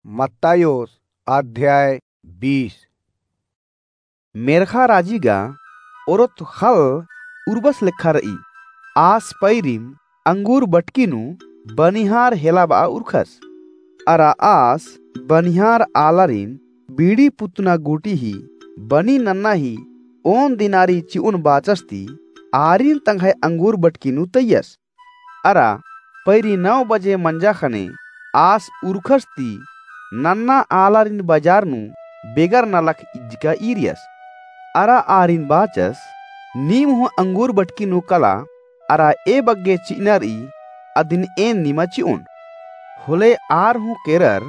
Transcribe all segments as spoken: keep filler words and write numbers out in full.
मत्तायोस अध्याय बीस। मेर्ख़ा राजी गा ओरोत ख़ल्ल उर्बस लेखा र'ई। आस पैरिम अंगूर बटकी नू बनिहार हेला ब'आ उरख़स। अरा आस बनिहार आलारिन बीड़ी पुतना गूटी ही बनी नन्ना ही ओन दिनारी चि'ओन बाचस ती आरिन तंग्है अंगूर बटकी नू तइयस। अरा पैरी नौ बजे मंजा ख़ने आस उरख़स ती नन्ना आलारिन बजार नू बेगर नलख इज्जका ईरियस। अरा आरिन बाचस, नीम हूँ अंगूर बटकी नू कला, अरा ए बग्गे चि'अना र'ई, अदिन एन निमा चि'ओन। होले आर हूँ केरर,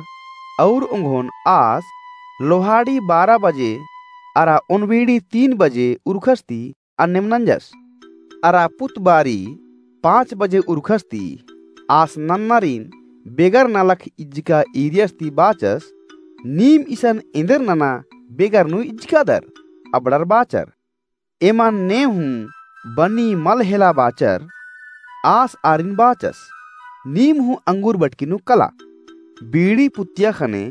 अउर ओंगोन आस लोहाड़ी बारा बजे अरा ओनबीड़ी तीन बजे उरख़स ती अन्नेम नंजस। अरा पुतबारी पाँच बजे उरख़स ती आस नन्नारिन बेगर नलख इज्जका ईरियस ती बाचस, नीम इसन एन्देर नना बेगर नू इज्जकादर? अबड़र बाचर, एमन ने हूँ बनी मल हेला बाचर। आस आरिन बाचस, नीम हूँ अंगूर बटकी नू कला। बीड़ी पुत्तिया ख़ने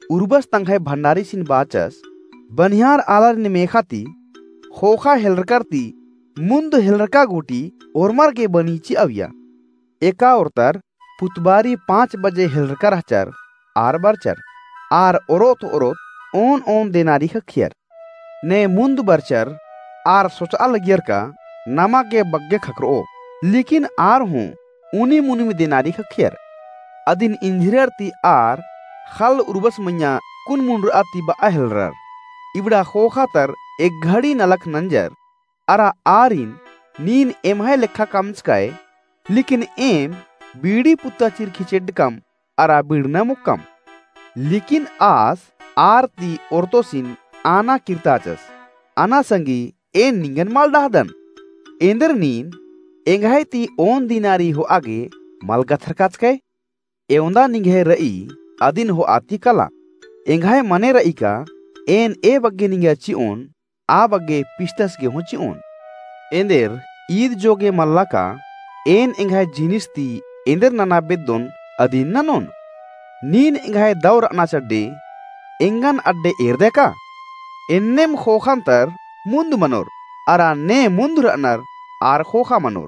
उर्बस तंग्है भंडारीसिन बाचस, बनिहार आलारिन मेख़ा ती ख़ोख़ा हेलरकर ती मुन्द हेलरका गूटी ओर्मर गे बनी चि'अविया। एका ओर्तर पुतबारी पाँच बजे हेलरका रहचर आर बरचर। आर ओरोत ओरोत ओन ओन देनारी ख़क्खियर। ने मुन्द बरचर आर सोच'आ लगियर का नमा गे बग्गे ख़क्खर'ओ, लेकिन आर हूँ उनिम उनिम देनारी ख़क्खियर। अदिन इंझिरर ती आर ख़ल्ल उर्बस मइय्याँ कुन मुंडर'आ ती ब'आ हेलरर। इबड़ा ख़ोख़ा तर एक घड़ी नलख नंजर। अरा आरिन, नीन एम्है लेखा कमचकय, लेकिन एम बीड़ी पुत्ता चिरखी चेड्डकम अरा बीड़ना मुक्कम। लेकिन आस आर ती ओर्तोसिन आना किर्ताचस, अना संगी एन निंगन मल डहदन। एन्देर नीन एंग्है ती ओन दिनारी हो'आ गे मल गथरकाचकय? एवंदा निंग्है र'ई अदिन हो'आ ती कला। एंग्है मने र'ई का एन ए बग्गे निंगा चि'ओन आ बग्गे पिस्टस गे हूँ चि'ओन। एन्देर ईद जोगे मल्ला का एन एंग्है जिनिस ती एन्देर नना बेद्दोन अदिन ननोन। नीन एंग्है दौ र'अना चड्डे एंगन अड्डे एरदय का? एन्नेम ख़ोख़ान तर मुन्द मनोर, अरा ने मुन्द र'अनर आर ख़ोख़ा मनोर।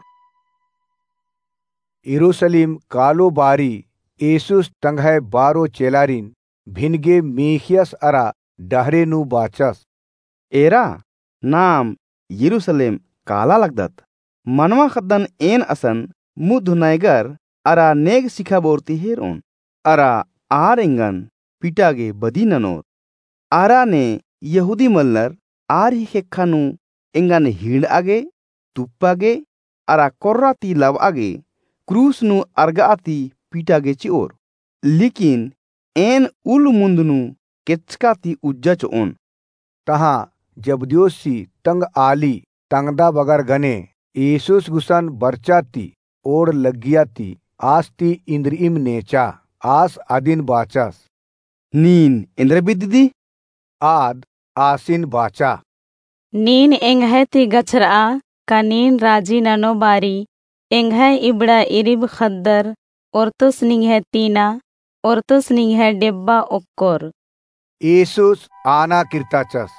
यरूसलेम कालो बारी येसुस तंग्है बारो चेलारिन भिनगे मीख़ियस अरा डहरे नू बाचस। एरा, नाम यरूसलेम काला लगदत। मनवा ख़द्दन एन असन मुद्ध नैगर अरा नेग सिखाबोर ती हेर'ओन। अरा आर एंगन पिटा गे बदी ननोर। आरा ने यहूदी मलनर आर ही ख़ेक्खा नू एंगन हिंड़'आ गे, तुप्पा गे, अरा कोर्रा ती लब'आ गे, क्रूस नू अरग'आ ती पिटा गे चि'ओर। लेकिन एन उल मुन्द नू केच्चका ती उज्जा चो'ओन। तहाँ जब्दियोसी तंग आली तंगदा बगर गने येसुस गुसन बरचा ती ओड़ लग्गिया ती आस ती इन्द्रिइम नेचा। आस अदिन बाचस, नीन एन्द्रा बिद्दी? आद आसिन बाचा, नीन एंग्है ती गछर'आ का नीन राजी ननो बारी एंग्है इबड़ा इरिब ख़द्दर, ओर्तोस निंग्है तीना, ओर्तोस निंग्है डेब्बा ओक्कोर। येसुस आना किर्ताचस,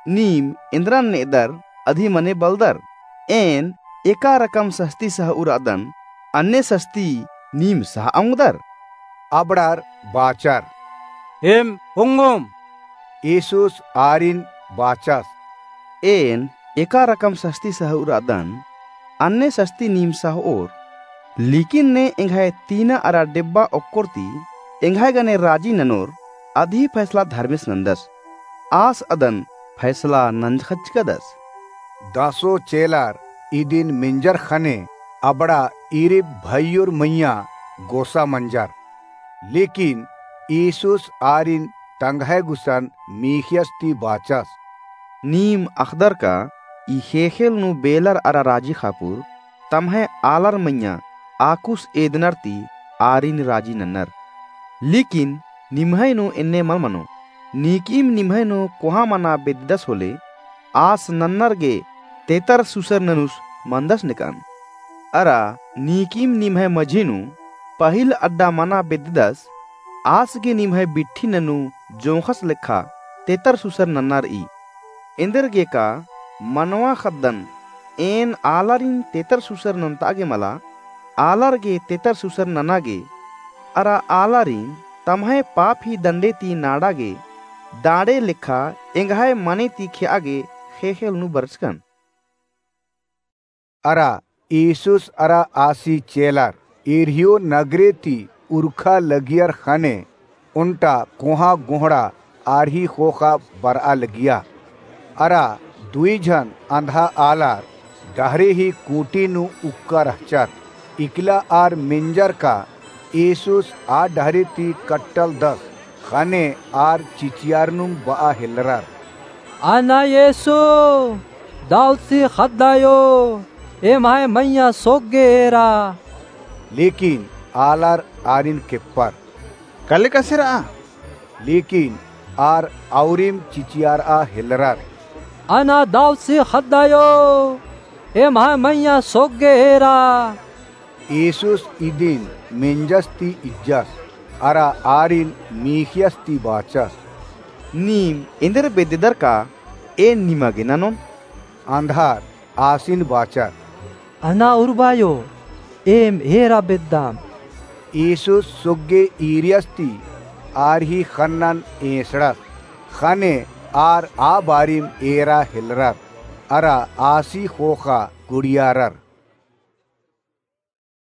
नीम एन्द्रन ने'दर अदी मने बलदर? एन एका रकम सस्ती सह'उर'अदन, अन्ने सस्ती नीम सह'आ ओंगदर? अबड़ार बाचर, एम ओंगोम। येसुस आरिन बाचस, एन एका रकम सस्ती सह'उर'अदन, अन्ने सस्ती नीम सह'ओर। लेकिन ने एंग्है तीना अरा डेब्बा ओक्कोर ती एंग्है गने राजी ननोर, अदी फैसला धर्मेस नन्दस। आस अदन फैसला नंजखचकदस। दसो चेलार इदिन मेंजर ख़ने अबड़ा इरिब भइयोर मइय्याँ गोसा मंजर। लेकिन येसुस आरिन तंग्है गुसन मीख़ियस ती बाचस, नीम अख़दर का ई ख़ेख़ेल नू बेलर अरा राजी ख़ापुर तम्है आलर मइय्याँ आकुस एदनर ती आरिन राजी नन्नर। लेकिन निम्है नू एन्ने मल मनो। नीकिम निम्है नू कोहाँ मना बेद्ददस होले, आस नन्नर गे तेतर सुसर ननुस मन्दस नेकन। अरा नीकिम निम्है मझी नू पहिल अड्डा मना बेद्ददस, आस गे निम्है बिट्ठी ननू जोंख़स लेखा तेतर सुसर नन्ना र'ई। एन्देरगेका मनवा ख़द्दन एन आलारिन तेतर सुसर नन्ता गे मला, आलार गे तेतर सुसर नना गे, अरा आलारिन तम्है पाप ही दंडे ती नाड़ा गे, दाड़े लेखा एंग्है मने ती खेआ गे ख़ेख़ेल नू बरचकन। अरा ईसुस अरा आसी चेलर इरिहो नगरे ती उरखा लगियर ख़ने ओन्टा कोहाँ गोहड़ा आर ही ख़ोख़ा बर'आ लगिया। अरा दुई झन अंधा आलर डहरे ही कूटी नू उक्का रहचर। इकला आर मेंजर का ईसुस आ डहरे ती कट्टलदस ख़ने आर चिचियारनुम ब'आ हेलरर। अना येसु, दाऊदसी ख़द्द आयो, एम्है मइय्याँ सोग्गे एरा। लेकिन आलर आरिन केप्पर। कले कसेर'आ? लेकिन आर औरिम चिचियार'आ हेलरर। अना दाऊदसी ख़द्द आयो, एम्है मइय्याँ सोग्गे एरा। येसुस इदिन मेंजस ती इज्जस, अरा आरिन मीख़ियस ती बाचस। नीम एन्देर बेद्ददर का एन निमा गे ननोन? अंधार आसिन बाचर। अना उर्बायो, एम एरा बेद्दाम। येसुस सोग्गे ईरियस ती आर ही ख़न्नन एंसड़स, ख़ने आर आ बारिम एरा हेलरर, अरा आसी ख़ोख़ा गुड़ियारर।